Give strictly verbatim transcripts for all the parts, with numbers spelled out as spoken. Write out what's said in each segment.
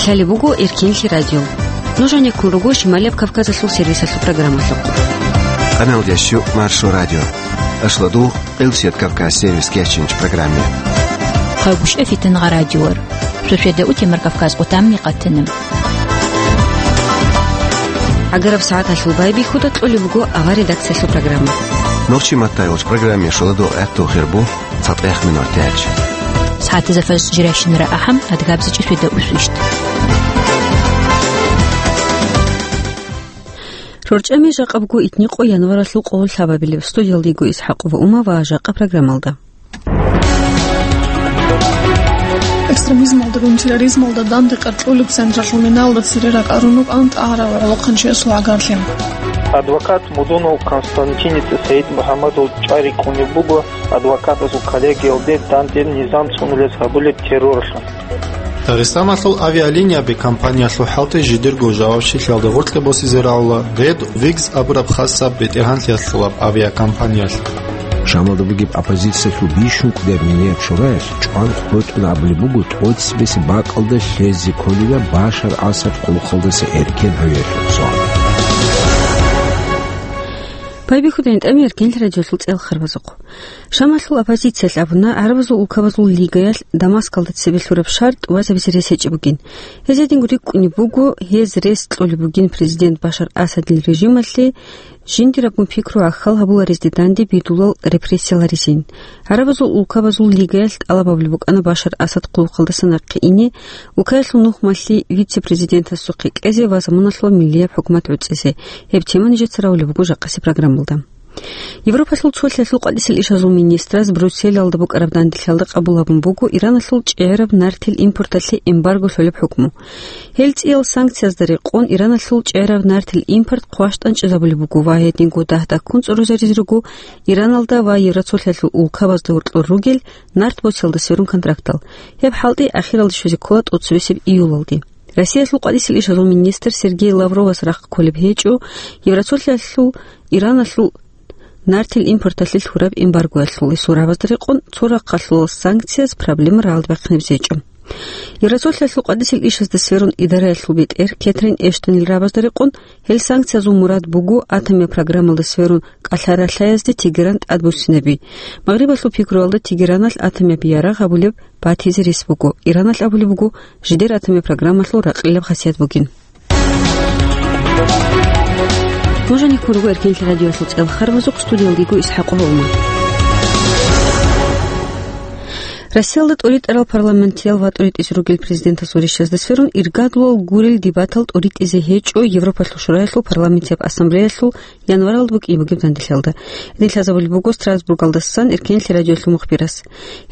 Гьале буго Эркенлъи радио. Нуж гьанеккун руго Шималияб Кавказалъул сервисалъул программалъухъ. Къаналдящу Маршо радио. Ашладу Къилсият Кавказ сервис кечинч программе. Хъагушев Фитангъа радиор. Шошеда утемар Кавказ къутамни къатана. Агараб сагӀаталъул байбихьуда кьолеб буго авар редакциялъул программа. Нурчи Маттаевич программе шуладу гӀатту хирбу. ЦатӀех минутач. СагӀатазда фарз жирайщинара ахӀам, адгабзичӀи шуйда усвищ. РорчӀами жакъабго итникъо январалъул къоло лъабабилеб. Студиялдего Исхакъова Ума ва жакъа программалда. Экстремизмалдагун терроризмалда данде къаркьулеб централъул минаялда цере ракӀарун рукӀан тӀагӀарав гӀолохъанчиясул гӀагарлъи. Адвокат Мудунов Константиница СагӀид МухӀаммадов чӀвай рикӀкӀунеб буго адвокатазул коллегиялде данде низам цӀунулес гьабулеб терроралъун. Дагъистаналъул авиалинияби компаниялъул хӀалтӀи жидерго жавабчилъиялда гъоркье босизе рагӀула Red Wings абураб хасаб бетӀергьанлъиялъулаб авиакомпаниялъ. Шамалда бугеб оппозициялъул бищун кӀудияб минияб шураялъ чӀван хутӀун абулеб буго тӀоцебесеб бакӀалда лъезе кколила Башар Асад къулухъалдаса эркен гьавиялъул суал. Байбихьуда гӀинтӀами Эркенлъи радиолъул цӀел харбазухъ. Шамалъул оппозициялъ абуна, гӀарабазул улкабазул лигаялъ Дамаскалда цебе лъураб шартӀ вазабизе рес гьечӀеб бугин. Гьезединго рикӀкӀунеб буго, гьез рес кьолеб бугин президент Башар Асадил режималъе жиндирабгун пикру гӀахьал гьабуларезде данде бидулал репрессияларизин. ГӀарабазул улкабазул лигаялъ тӀалаб гьабулеб букӀана Башар Асад къулухъалдаса нахъе ине, улкаялъул нухмалъи вице-президентасухъе кьезе ва заманалъула миллияб хӀукумат гӀуцӀизе. Гьеб тема нижеца равулеб буго жакъасеб программалда. Европалъул цолъиялъул къватӀисел ишазул министраз Брюсселалда букӀараб данделъиялда къабул гьабун буго Ираналъул чӀегӀераб нартил импорталъе эмбарго лъолеб хӀукму. Гьел цӀиял санкциязда рекъон Ираналъул чӀегӀераб нартил импорт хъващтӀанчӀезабулеб буго ва гьединго дагь-дагьккун цӀурузаризе руго Ираналда ва Евроцолъиялъул улкабазда гьоркьор ругел нарт босиялда сверун контрактал. Гьеб хӀалтӀи ахиралде щвезе ккола тӀоцебесеб июлалде. Россиялъул къватӀисел ишазул министр Сергей Лавровас рахъ кколеб гьечӀо Евроцолъиялъул Ираналъул нартил импорталъе лъураб эмбаргоялъул, гьесул рагӀабазда рекъон цо рахъалъулал санкцияз проблема рагӀалде бахъинабизе гьечӀо. Евроцолъиялъул къватӀисел ишазда сверун идараялъул бетӀер Кетрин Эштонил рагӀабазда рекъон, гьел санкциязул мурад буго атомияб программалда сверун кӀалъа-ралъаязде Тегеран тӀадбуссинаби. Магърибалъул пикруялда Тегераналъ атомияб ярагъ гьабулеб батизе рес буго. Ираналъ абулеб буго, жидер атомияб программалъул ракълилаб хасият бугин. Нуж гьанеккун руго Эркенлъи радиоялъул цӀел харбазухъ, студиялдего Исхакъова Ума. Россиялда тӀоритӀарал парламентиял ва тӀоритӀизе ругел президентасул рещтӀазда сверун иргадулал гурел дебатал тӀоритӀизе гьечӀо Европалъул Шураялъул парламентияб ассамблеялъул январалда букӀине бугеб данделъиялда. Гьедин лъазабулеб буго Страсбургалдасан Эркенлъи радиоялъул мухбирас.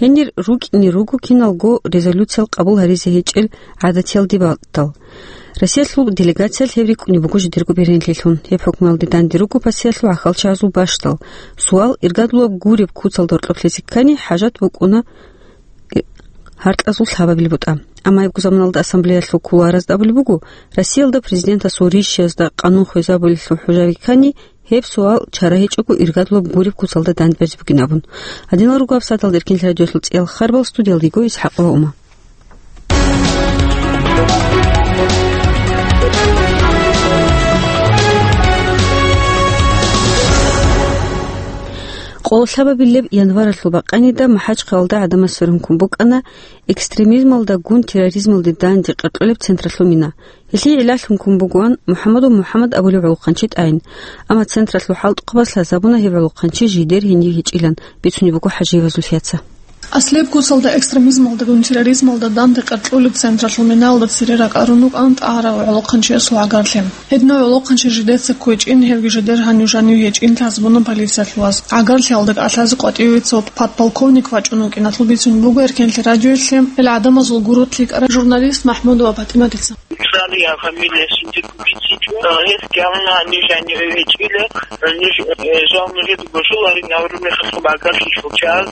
Гьенир рукӀине руго киналго резолюциял къабул гьаризе гьечӀел гӀадатиял дебатал. Россиялъул делегациялъ гьеб рикӀкӀунеб буго жидерго беренлъилъун. Гьеб хӀукмуялде данде руго пасиялъул гӀахьалчагӀазул бащдал. Суал: иргадулаб гуреб куцалда гьоркьоб лъезе ккани, хӀажат букӀуна гьаркьазул лъабабил бутӀа. Амма гьебго заманалда ассамблеялъул кулуаразда абулеб буго, Россиялда президентасул рищиязда къанун хвезабулелъул хӀужаби ккани, гьеб суал чара гьечӀого иргадулаб гуреб куцалда дандберзе бугин абун. Гьадинал руго гьаб сагӀаталда Эркенлъи радиоялъул цӀиял харбал, студиялдего Исхакъова Ума. Къоло лъабабилеб январалъул бакъанида МахӀачхъалалда гӀадамаз сверун ккун букӀана экстремизмалдагун терроризмалде данде къаркьулеб централъул мина. Гьелъие гӀиллалъун ккун бугоан МухӀаммадов МухӀаммад абулев гӀолохъанчи тӀагӀин. Амма централъул хӀалтӀухъабаз лъазабуна гьев гӀолохъанчи жидер гьенив гьечӀилан, бицунеб буго ХӀажиевазул Лъяца. Аслияб куцалда экстремизмалдагун терроризмалда данде къаркьулеб централъул минаялда цере ракӀарун рукӀан тӀагӀарав гӀолохъанчиясул гӀагарлъи. Гьединав гӀолохъанчи жидеца кквечӀин, гьевги жидер гьанив-жанив гьечӀин лъазабуна полициялъулаз. ГӀагарлъиялда кӀалъазе къватӀиве цо подполковник вачӀун вукӀиналъул бицун буго Эркенлъи радиоялъе гьел гӀадамазул гурулъ лъикӀарай журналист Махмудова ПатӀиматица. Цали я фамилия синтик бицичӀо, гьес кӀалъана гьанив-жанив гьечӀила, ниж, э, жал нужеда божуларин, авру мехалъ багалъи шучал,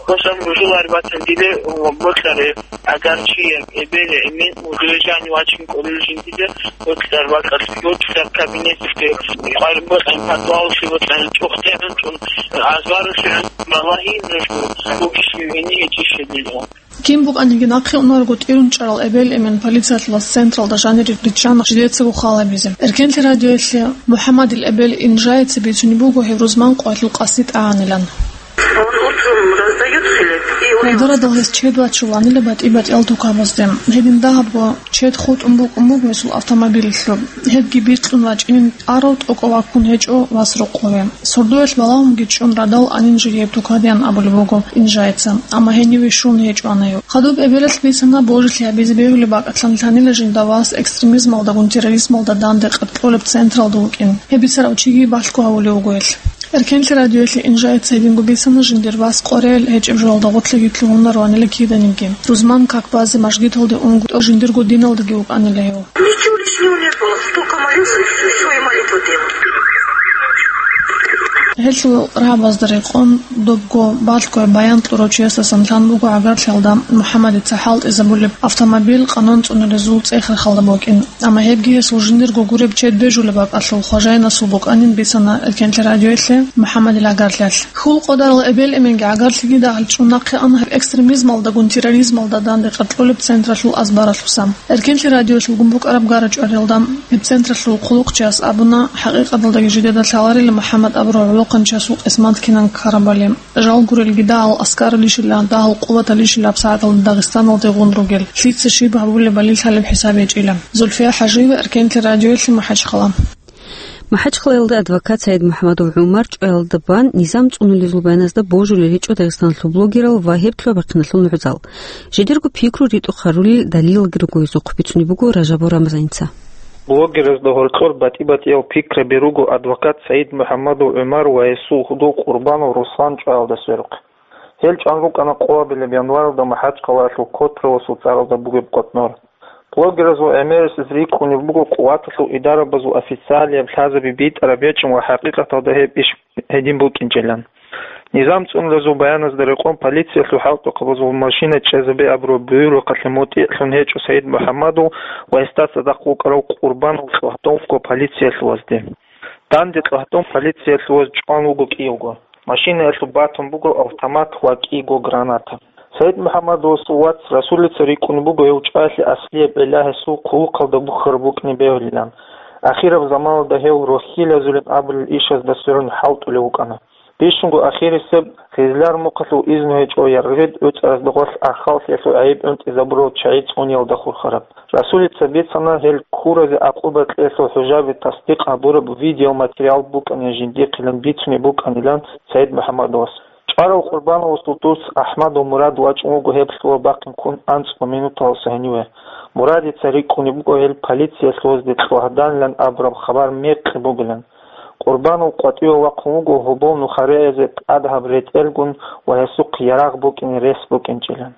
босам божулар батан диле, э, ботларе. Агар чи эбел-эмен мугӀлужани вачин кӀолел жиндизе, ботлар бакӀалъ, ботлар кабинеталъе, къварбокьан подвалалъе ботлар, чӀухӀтегӀан чӀун, азваралъе балагьи нуж бугищ вини гьечӀищ гьединав. Кин букӀаниги нахъе унарго тӀирун чӀарал эбел-эмен полициялъулас централда жанир риччана жидецаго хал гьабизе. Эркенлъи радиоялъе МухӀаммадил эбел Инжаица бицунеб буго гьев рузман къоялъул къаси тӀагӀанилан. Он утром раздаёт хлеб, и у него Гьалдарадал гьес чед вачуланила батӀи-батӀиял тукабазде. Гьедин дагьабго чед хутӀун букӀун буго гьесул автомобилалъуб. Гьебги бикьун вачӀинин тӀарав тӀокӀав ваккун гьечӀо вас рокъове. Сордоялъ балагьунги чӀун радал анин жирияб тукадеян абулеб буго Инжаица, амма гьениве щун гьечӀо ана гьев. Хадуб эбелалъ бицана божилъи гьабизе бегьулеб бакӀалъан лъанила жинда вас экстремизмалдагун терроризмалда данде къеркьолеб централда вукӀин. Гьеб бицарав чиги балъго гьавулев вуго гьелъ. Эркенлъи радиоялъе Инжаица гьединго бицана жиндир вас къваригӀел гьечӀеб жоялда гъорлъиги лъугьунаро анила киданиги. Рузман как базе мажгиталде унго жиндирго диналдаги вукӀанила гьев. Ничего лишнего не было. Только молился и всё, и молитву делал. Гьелъул рагӀабазда рекъон, добго балъго баян кьурав чиясдасан лъан буго гӀагарлъиялда МухӀаммадица хӀалтӀизабулеб автомобиль къанун цӀунулезул цӀех-рахъалда букӀин. Амма гьебги гьесул жиндирго гуреб чед бежулеб бакӀалъул хважайнасул букӀанин бицана Эркенлъи радиоялъе МухӀаммадил гӀагарлъиялъ. Хьул къвадарал эбел-эменги гӀагарлъиги дагьал чӀун нахъе ана гьеб экстремизмалдагун терроризмалда данде къеркьолеб централъул азбаралъуса. Эркенлъи радиоялъулгун букӀараб гарачӀваралда гьеб централъул хъулухъчияс абуна, хӀакъикъаталдаги жидеда лъаларила МухӀаммад абурав гӀолохъанчиясул къисмат кинан ккарабали. Жал гурелги дагьал аскаралищила, дагьал къуваталищила гьабсагӀаталда Дагъистаналде гъун ругел, лъица щиб гьабулебали лъалеб хӀисаб гьечӀила. Зульфия ХӀажиева, Эркенлъи радиоялъе, МахӀачхъала. МахӀачхъалаялда адвокат СагӀид МухӀаммадов ГӀумар чӀваялда бан низам цӀунулезул баяназда божулел гьечӀо дагъистанлъул блогерал ва гьеб лъугьа-бахъиналъул нугӀзал. Жидерго пикру ритӀухъ гьарулел далилалги руго гьезухъ, бицунеб буго Ражабов Рамзаница. Блогерзда гьоркьор батӀи-батӀиял пикраби руго адвокат СагӀид МухӀаммадов ГӀумар ва гьесул гьудул Къурбанов Руслан чӀваялда сверухъ. Гьел чӀван рукӀана къоабилеб январалда МахӀачхъалаялъул Котровасул цӀаралда бугеб къотӀнор. Блогерзул гӀемерисез рикӀкӀунеб буго къуваталъул идарабазул официалияб лъазаби битӀараб гьечӀин ва хӀакъикъаталда гьеб иш гьедин букӀинчӀилан. Низам цӀунулезул баяназда рекъон полициялъул хӀалтӀухъабазул машина чӀезабе абураб буюрухъалъе мутӀигӀлъун гьечӀо СагӀид МухӀаммадов ва гьесда цадахъ вукӀарав Къурбанов ЦӀогьдовго полициялъувазде. Данде ЦӀогьдов полициялъуваз чӀван вуго кӀиявго. Машинаялъуб батун буго автомат ва кӀиго граната. СагӀид МухӀаммадовасул вац Расулица рикӀкӀунеб буго гьев чӀваялъе аслияб гӀилла гьесул хъулухъалда бухьараб букӀине бегьулилан. Ахираб заманалда гьев рохьилазулин абулел ишазда сверун хӀалтӀулев вукӀана. Бищунго ахирисеб, Хизлар мухъалъул изну гьечӀо Яргъид гӀуцӀаразда гъорлъ Ахаллъиялъул гӀайиб гӀунтӀизабурал чагӀи цӀуниялда хурхараб. Расулица бицана гьел ккуразе гӀакъуба кьелъул хӀужаби тасдикъ гьабураб видеоматериал букӀанин жиндихъилан бицунеб букӀанилан СагӀид МухӀаммадовас. ЧӀварав Къурбановасул дус АхӀмадов Мурад вачӀун вуго гьеб лъугьа-бахъин ккун анцӀго минуталаса гьениве. Мурадица рикӀкӀунеб буго гьел полициялъувазде ЦӀогьданилан абураб хабар мекъи бугилан. Къурбанов къватӀиве вахъун вуго гьобол нухаризе тӀадаб ретӀелгун ва гьесухъ ярагъ букӀине рес букӀинчӀилан.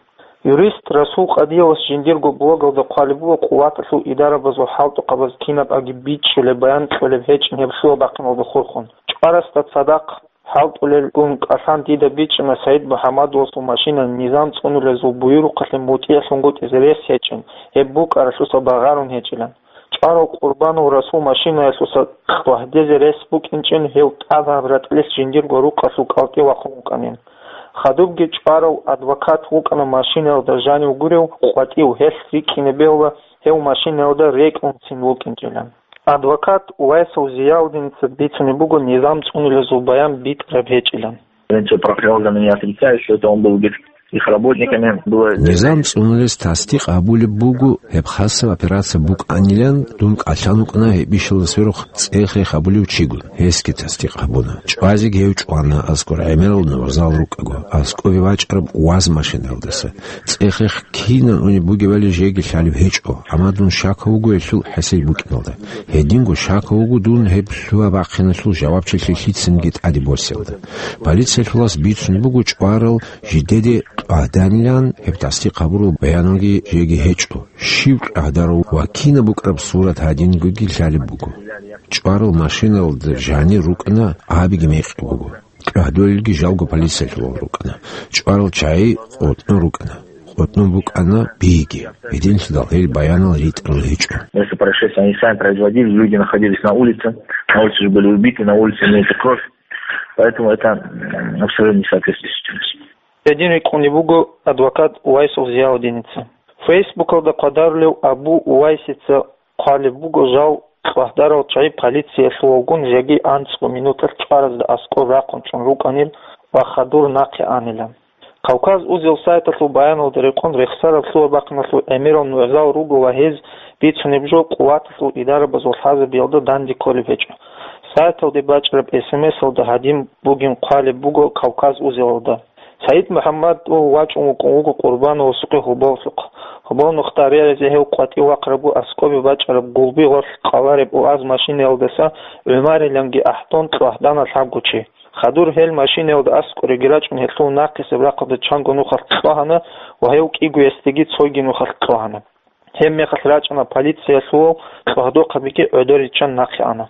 Юрист Расул Къадиевас жиндирго блогалда хъвалеб буго къуваталъул идарабазул хӀалтӀухъабаз кинаб аги бичӀчӀулеб, баян кьолеб гьечӀин гьеб лъугьа-бахъиналда хурхун. ЧӀварасда цадахъ хӀалтӀулелгун кӀалъан дида бичӀчӀана СагӀид МухӀаммадовасул машина низам цӀунулезул буюрухъалъе мутӀигӀлъунгутӀизе рес гьечӀин, гьеб букӀаралъуса багъарун гьечӀилан. ЧӀварав Къурбанов Расул машинаялъуса кьвагьдезе рес букӀинчӀин гьев тӀадаб ратӀлилъ жиндирго рукъалъул кӀалтӀи вахъун вукӀанин. Хадубги чӀварав адвокат вукӀана машинаялда жанив гурев къватӀив гьелъ рикӀкӀине бегьула гьев машинаялда рекӀунцин вукӀинчӀилан. Адвокат Вайсов Зиялдиница бицунеб буго низам цӀунулезул баян битӀараб гьечӀилан. Полиция прокурор для меня отрицает, что это он был их, их работниками. Было Низам цӀунулес тасдикъ гьабулеб буго гьеб хасаб операция букӀанилан, дун кӀалъан вукӀана гьеб ишалда сверухъ цӀех-рех гьабулев чигун. Гьесги тасдикъ гьабуна. ЧӀвазеги гьев чӀвана аскӀор гӀемерал нугӀзал рукӀаго, аскӀове вачӀараб ВАЗ машинаялдаса. ЦӀех-рех кинан унеб бугебали жеги лъалеб гьечӀо, амма дун щакав вуго гьелъул хӀесил букӀиналда. Гьединго щакав вуго дун гьеб лъугьа-бахъиналъул жавабчилъи лъицанги тӀаде босиялда. Полициялъулас бицунеб буго чӀварал жидеде тӀвагьданилан гьеб тасдикъ гьабурал баяналги жеги гьечӀо, щив тӀвагьдарав ва кинаб букӀараб сурат гьадингоги лъалеб буго. ЧӀварал машиналда жанир рукӀана, абиги мекъи буго. ТӀвагьдулелги жалго полициялъулал рукӀана. ЧӀварал чагӀи къотӀнун рукӀана. КъотӀнун букӀана биги. Гьединлъидал гьел баянал ритӀарал гьечӀо. Место происшествия они сами производили, люди находились на улице, на улице же были убиты, на улице имеется кровь, поэтому это, м, абсолютно не соответствует действительности. Гьедин рикӀкӀунеб буго адвокат Увайсов Зияудиница. Фейсбукалда хъвадарулев Абу Увайсица хъвалеб буго, жал кьвагьдарал чагӀи полициялъувалгун жеги анцӀго минуталъ чӀваразда аскӀор рахъун чӀун рукӀанил ва хадур нахъе анилан. Кавказ Узел сайталъул баяналда рекъон, рехсараб лъугьа-бахъиналъул гӀемерал нугӀзал руго ва гьез бицунеб жо къуваталъул идарабазул хӀисабиялда данде кколеб гьечӀо. Сайталде бачӀараб эс эм эсалда гьадин бугин хъвалеб буго Кавказ Узелалда. Саид МухӀаммадов вачӀун вукӀун вуго Къурбановасухъе Гьоболлъухъ. Гьобол нухда реризе гьев къватӀив вахъарабго аскӀобе бачӀараб Гулби гъорлъ къалареб УАЗ машинаялдаса ГӀумариланги ахӀдон кьвагьдана лъабго чи. Хадур гьел машинаялда аскӀореги рачӀун гьелъул нахъисеб рахъалда чанго нухалъ кьвагьана ва гьев кӀигоясдеги цойги нухалъ кьвагьана. Гьебмехалъ рачӀана полициялъувал, кьвагьдухъабиги гӀодор риччан нахъе ана.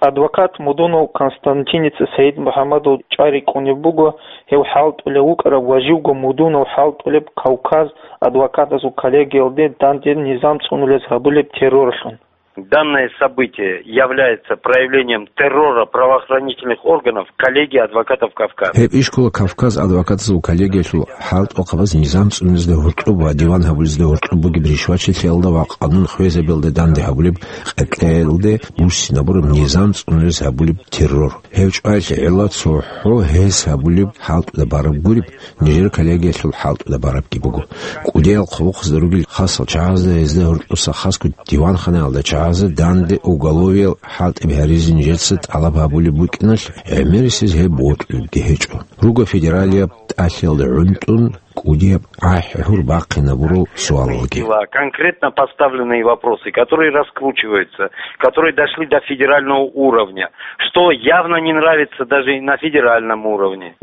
Адвокат Мудунов Константиница Саид МухӀаммадов чӀвай рикӀкӀунеб буго, гьев хӀалтӀулев вукӀараб ва живго Мудунов хӀалтӀулеб Кавказ адвокатазул коллегиялде данде низам цӀунулез гьабулеб террорлъун. Данное событие является проявлением террора правоохранительных органов коллегии адвокатов Кавказа. Гьеб иш ккола Кавказ адвокатазул коллегиялъул хӀалтӀухъабаз низам цӀунезда гьоркьоб ва диван гьабулезда гьоркьоб бугеб ришвачилъиялда ва къанун хвезабиялда данде гьабулеб, къеркьеялде буссинабураб низам цӀунез гьабулеб террор. Гьев чӀваялъе гӀелла цохӀо гьес гьабулеб хӀалтӀуда бараб гуреб, нижер коллегиялъул хӀалтӀуда барабги буго. КӀудиял хъулухъазда ругел хасал чагӀазда, гьезда гьоркьоса хасго диванханаялда чагӀазда данде уголовиял хӀалтӀи гьаризе нижеца тӀалаб гьабулеб букӀиналъ, гӀемерисез гьеб бокьулебги гьечӀо. Руго федералияб тӀалъиялда гӀунтӀун кӀудияб гӀахӀ-гьур бахъинабурал суалалги. Конкретно поставленные вопросы, которые раскручиваются, которые дошли до федерального уровня, что явно не нравится даже и на федеральном уровне.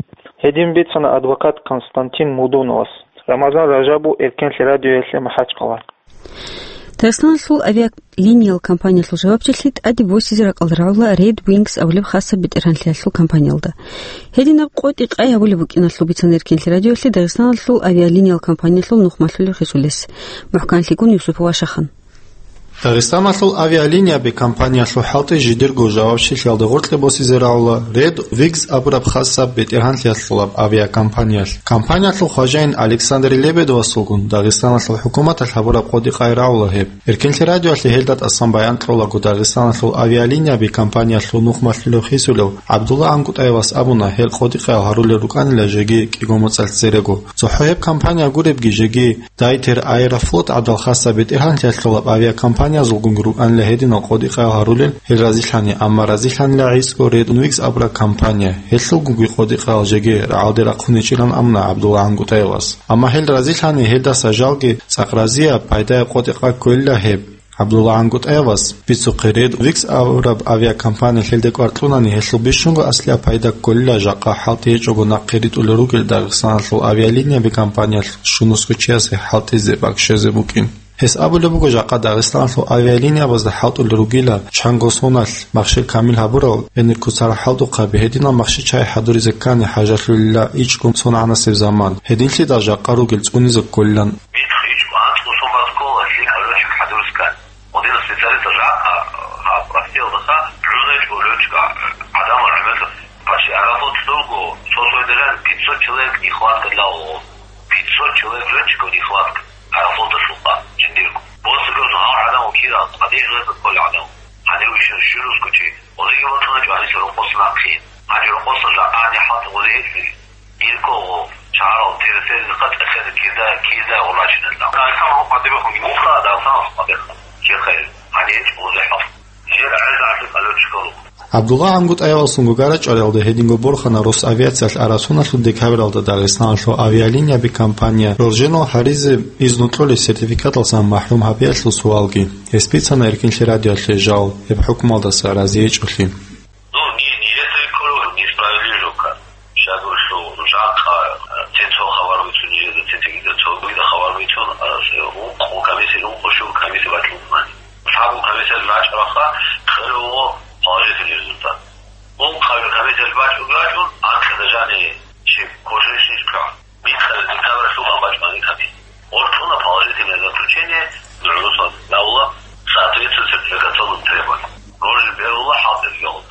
Гьедин бицана адвокат Константин Мудуновас. Рамазан Ражабов, Эркенлъи радиоялъе, МахӀачхъала. Дагъистаналъул авиалиниял компаниялъул жавабчилъи тӀаде босизе ракӀалда рагӀула Red Wings абулеб хасаб бетӀергьанлъиялъул компаниялда. Гьединаб къотӀи-къай гьабулеб букӀиналъул бицана Эркенлъи радиоялъе Дагъистаналъул авиалиниял компаниялъул нухмалъулел хисулес. МухӀканлъигун Юсупов Ашахан. Дагъистаналъул авиалинияби компаниялъул хӀалтӀи жидерго жавабчилъиялда гъоркье босизе рагӀула Red Wings абураб хасаб бетӀергьанлъиялъулаб авиакомпаниялъ. Компаниялъул хважаин Александр Лебедовасулгун Дагъистаналъул хӀукуматалъ гьабураб къотӀи-къай рагӀула гьеб. Эркенлъи радиоялъе гьелда тӀасан баян кьолаго Дагъистаналъул авиалинияби компаниялъул нухмалъулев хисулев ГӀабдулла ГӀангутӀаевас абуна, гьел къотӀи-къаял гьарулел рукӀанила жеги кӀиго моцӀалъ церего. ЦохӀо гьеб компания гуребги жеги Дайтер Аэрофлот гӀадал хасаб бетӀергьанлъиялъулаб авиакомпаниязулгун рукӀанила гьединал къотӀи-къаял гьарулел гьел разилъани, амма разилъанила гӀицӀго Red Wings абураб компания, гьелъулгунги къотӀи-къаял жеги рагӀалде рахъун гьечӀилан абуна ГӀабдулла ГӀангутӀаевас. Амма гьел разилъани, гьелдаса жалги цӀакъ разияб, пайдаяб къотӀи-къай кколила гьеб. ГӀабдулла ГӀангутӀаевас бицухъе Red Wings абураб авиакомпания лъелде кӀвар кьунани, гьелъул бищунго аслияб пайда кколила жакъа хӀалтӀи гьечӀого нахъе ритӀулел ругел Дагъистаналъул авиалинияби компаниялъ щунусго чиясе хӀалтӀизе бакӀ щвезе букӀин. Гьес абулеб буго, жакъа Дагъистаналъул авиалиниябазда хӀалтӀулел ругила чанго соналъ махщел камил гьабурал, гьенир куцарал хӀалтӀухъаби, гьединал махщел чагӀи хӀадуризе ккани хӀажалъулила ичӀго соналъул заман. Гьединлъидал жакъа ругел цӀунизе кколилан. Михъ ичӀго анцӀго сон бацӀцӀола лъикӀаб лётчик хӀадурискан. Гьединал специалистал жакъа гьаб Россиялдаса гӀунечӀо лётчик гӀадамал гӀемерлъи. Почти Аэрофлот лъуго, цо-цойдалъун пятьсот человек нехватка для ООН. Пятьсот человек лётчиков нехватка Аэрофлоталъулха жиндирго. Просто гьал гӀадамал ккела, гьадин гьезда кколел гӀадамал. Гьанив ишин щунусго чи, гьезиги батуначӀо гьаниса рокъоса нахъе. Гьанив рокъоса жакъа гьанив хӀалтӀи гьезие гьечӀищ. Иркого чарал терсел хатӀа хир кида, кида гъуначинелла. Дагъистаналъул къадибехун муха, Дагъистаналъул къадиха. Чи хайр, гьанив гьечӀо гъузе хӀалт. Жер гӀеза гӀаси къалучкалу. ГӀабдулла ГӀангутӀаевасул гугара чӀвариялда гьединго борхана Росавиациялъ араб соналъул декабралда Дагъистаналъул авиалинияби компания рорженал гьаризе изну кьолеб сертификаталсан махӀрум гьабиялъул суалги. Гьес бицана Эркинлъи радиоялъе жал, гьеб хӀукмалдаса разиечӀолъи. Ну, не, не это круг, несправедливо как. Щас гурлъу, жакъа, э, цецо хабар бицун, жеда цецегида цогида хабар бицун, э, ункъо комиссия, ункъо щур комиссия бачун мани. Лъабго комиссия бачӀараха, хире вуго положительный результат. Ункъабил комиссия бачӀун, бачӀун, анкъиза жани чи кошишниш прав. Михъа декабрь лъугьа бачӀани ками. Ортуна положительное заключение, нугӀлуса давла соответствует сертификационным требованиям. Рожи берула хӀалтӀи регион.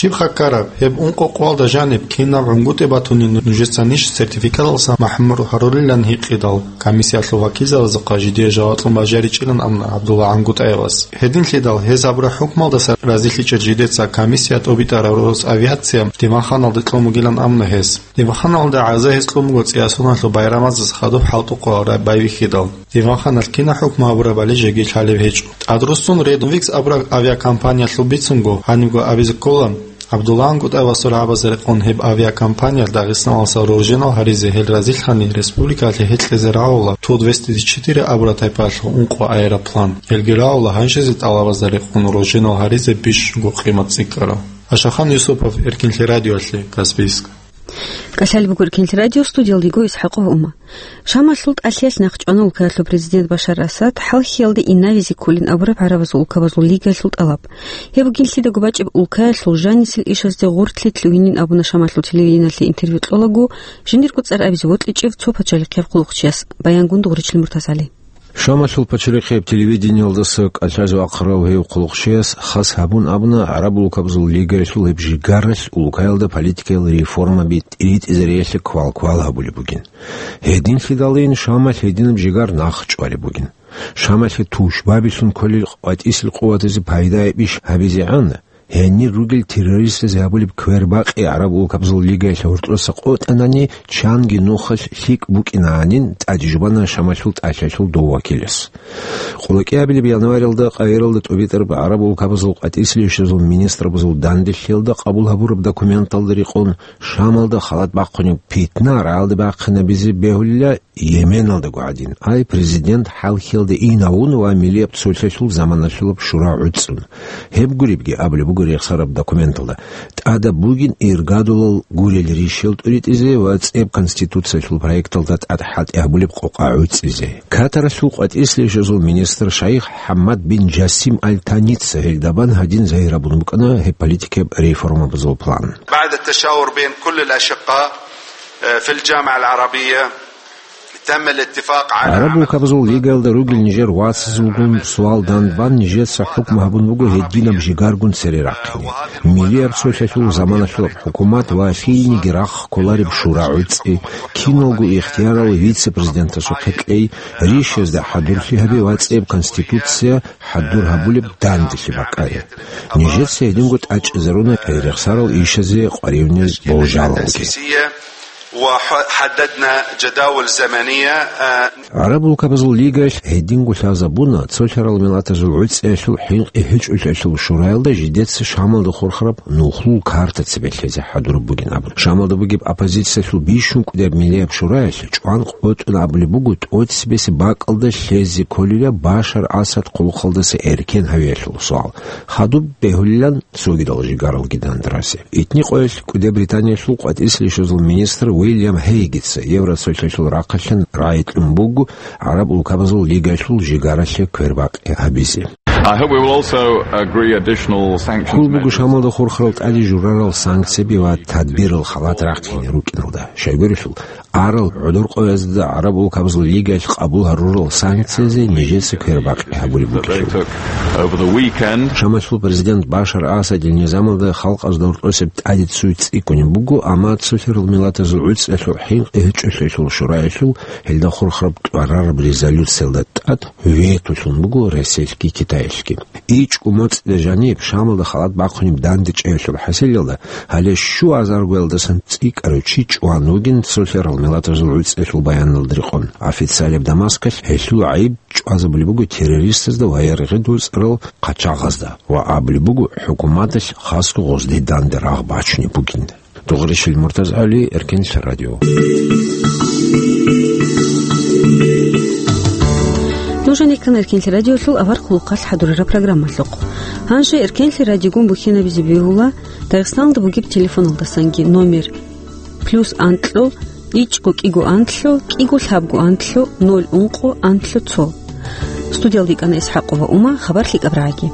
Щиб хаккараб, гьеб ункъо къоялда жаниб кинаб гӀунгутӀи батунин нужецанищ сертификаталдасан махӀрум гьарулилан гьикъидал, комиссиялъул вакилзабазухъа жидее жаваблъун бажаричӀилан абуна ГӀабдулла ГӀунгутӀаевас. Гьединлъидал гьез гьабураб хӀукмалдаса разилъичӀел жидеца комиссия тӀобитӀараб Росавиация диванханалде кьун бугилан абуна гьес. Диванханалда гӀаза гьес кьун буго цӀиясуналъул байрамазда хадуб хӀалтӀухъа байбихьидал. Диванханалъ кинаб хӀукму гьабурабали жеги лъалеб гьечӀо. ТӀадруссун Red Wings абураб авиакомпаниялъул бицунго гьанибго абизе ккола, ГӀабдулла ГӀунгутӀаевасул рагӀабазда рекъон гьеб авиакомпаниялъ Дагъистаналдаса рожденал гьаризе гьел разилъани республикалъе гьекьезе рагӀула Ту двести четыре абураб тайпаялъул ункъо аэроплан. Гьелги рагӀула гьанжезе тӀалабазда рекъон рожденал гьаризе бищунго къимат цӀикӀкӀарал. Ашахан Юсупов, Эркинлъи радиоялъе, Каспийск. КӀалъалеб буго Эркинлъи радио, студиялда йиго ИсхӀакъов Ума. Шамалъул тӀалъиялъ нахъчӀвана улкаялъул президент Башар Асад хӀалхьиялде инавизе кколин абураб гӀарабазул улкабазул лигаялъул тӀалаб. Гьеб бугин лъидаго бачӀеб улкаялъул жанисел ишазде гъорлъи лъугьинин абуна Шамалъул телевидениялъе интервью кьолаго, жиндирго цӀар абизе вокьичӀев цо пачалихъияб хъулухъчияс. Баянгун Дугъричил МуртазгӀали. Шамалъул пачалихъияб телевидениялдаса кӀалъазе вахъарав гьев хъулухъчияс хас гьабун абуна, гӀараб улкабазул лигаялъул гьеб жигаралъ улкаялда политикаял реформаби тӀиритӀизариялъе квал-квал гьабулеб бугин. Гьединлъидалин Шамалъ гьединаб жигар нахъчӀвалеб бугин. Шамалъе тушбабилъун кколел къватӀисел къуватазе пайда гьабизегӀан, гьенир ругел террористазе гьабулеб квербакъи гӀараб улкабазул лигаялъ гьоркьоса къотӀанани, чанги нухалъ лъикӀ букӀинанин, тӀаде жубана Шамалъул тӀалъиялъул дов вакилас. Къулакиабилеб январалда Каиралда тӀубитӀараб гӀараб улкабазул къватӀислъи ишазул министрабазул данделъиялда къабул гьабураб документалда рекъон, Шамалда халат бахъунеб питна рагӀалде бахъинабизе бегьулила Йеменалдаго гӀадин, ай президент хӀалхьиялде инавун ва миллияб цолъалъул заманалъулаб шура гӀуцӀун. Гьеб гуребги абулеб буго рехсараб документалда, тӀадаб бугин иргадулал гурел ришел тӀуритӀизе ва цӀеб конституциялъул проекталда тӀад хӀалтӀи гьабулеб къокъа гӀуцӀизе. Катаралъул къватӀислъи ишазул министр шайх ХӀаммад бин Жасим Аль Таница гьелдабан гьадин загьир гьабун букӀана гьеб политикияб реформабазул план. بعد التشاور بين كل الأشقاء، آه، في الجامعة العربية، تم الاتفاق على عمل. ГӀараб улкабазул лигаялда ругел нижер вацазулгун суал данбан, нижеца хӀукму гьабун буго гьединаб жигаргун цере рахъине. Миллияб цолъалъул заманалъулаб хӀукумат ва лъиениги рахъ кколареб шура гӀуцӀи, киналго ихтиярал вице-президентасухъе кьей, ришазда хӀадурлъи гьабе ва цӀеб конституция хӀадур гьабулеб данделъи бакӀаре. Нижеца гьединго тӀачӀизаруна рехсарал ишазе къваригӀунел болжалалги. وحددنا جداول زمنية، آه، ГӀараб улкабазул лигаялъ гьединго лъазабуна, цолъарал миллатазул гӀуцӀиялъул хӀинкъи гьечӀолъиялъул шураялда жидеца Шамалда хурхараб нухлул карта цебе лъезе хӀадураб бугин абун. Шамалда бугеб оппозициялъул бищун кӀудияб миллияб шураялъ чӀван къотӀун абулеб буго, тӀоцебесеб бакӀалда лъезе кколила Башар Асад хъулухъалдаса эркен гьавиялъул суал. Хадуб бегьулилан цогидал жигаралги дандарасе. Итни къоялъ кӀуде Британиялъул къватӀислъи ишазул министр Уильям Хейгица Евроцолъалъул рахъалъан рагӀи кьун буго гӀараб улкабазул лигаялъул жигаралъе квербакъи гьабизе. I hope we will also agree additional sanctions. Ккол буго measures. Шамалда хурхарал тӀаде журарал санкцияби ва тадбирал халат рахъине рукӀиналда. Щайгурелъул, арал гӀодор къоязда гӀараб улкабазул лигаялъ къабул гьарурал санкциязе нижеца квербакъи гьабулеб бугелъул. Over the weekend. Шамалъул президент Башар Асадил низамалда халкъазда гьоркьосеб тӀаде цуй цӀикӀкӀунеб буго, амма цолъарал миллатазул гӀуцӀиялъул хӀинкъи гьечӀолъиялъул шураялъул гьелда хурхараб кьварараб резолюциялда тӀад ветолъун буго Россиялъги Китаялъги. ИчӀго моцӀида жаниб Шамалда халат бахъунеб данде чӀеялъул хӀасилалда, гьале щуазаргоялдасан цӀикӀкӀарав чи чӀван вугин цолъарал миллатазул гӀуцӀиялъул баяналда рекъон. Официалияб Дамаскалъ гьелъул гӀайиб чӀвазабулеб буго террористазда ва яргъи доцӀарал хъачагъазда ва абулеб буго хӀукуматалъ хасго гъозде данде рагъ бачунеб бугин. Дугъришил МуртазгӀали, Эркенлъи радио. Нуж гьанир ккана Эркенлъи радиолъул авар хъулухъалъ хӀадурараб программалъухъ. Гьанже Эркенлъи радиогун бухьинабизе бегьула Дагъистаналда бугеб телефоналдасанги номер: плюс анкьго, ичӀго кӀиго анкьго, кӀиго лъабго анкьго, ноль ункъо анкьго цо. Студиялда йикӀана ИсхӀакъова Ума, хабар лъикӀаб рагӀаги.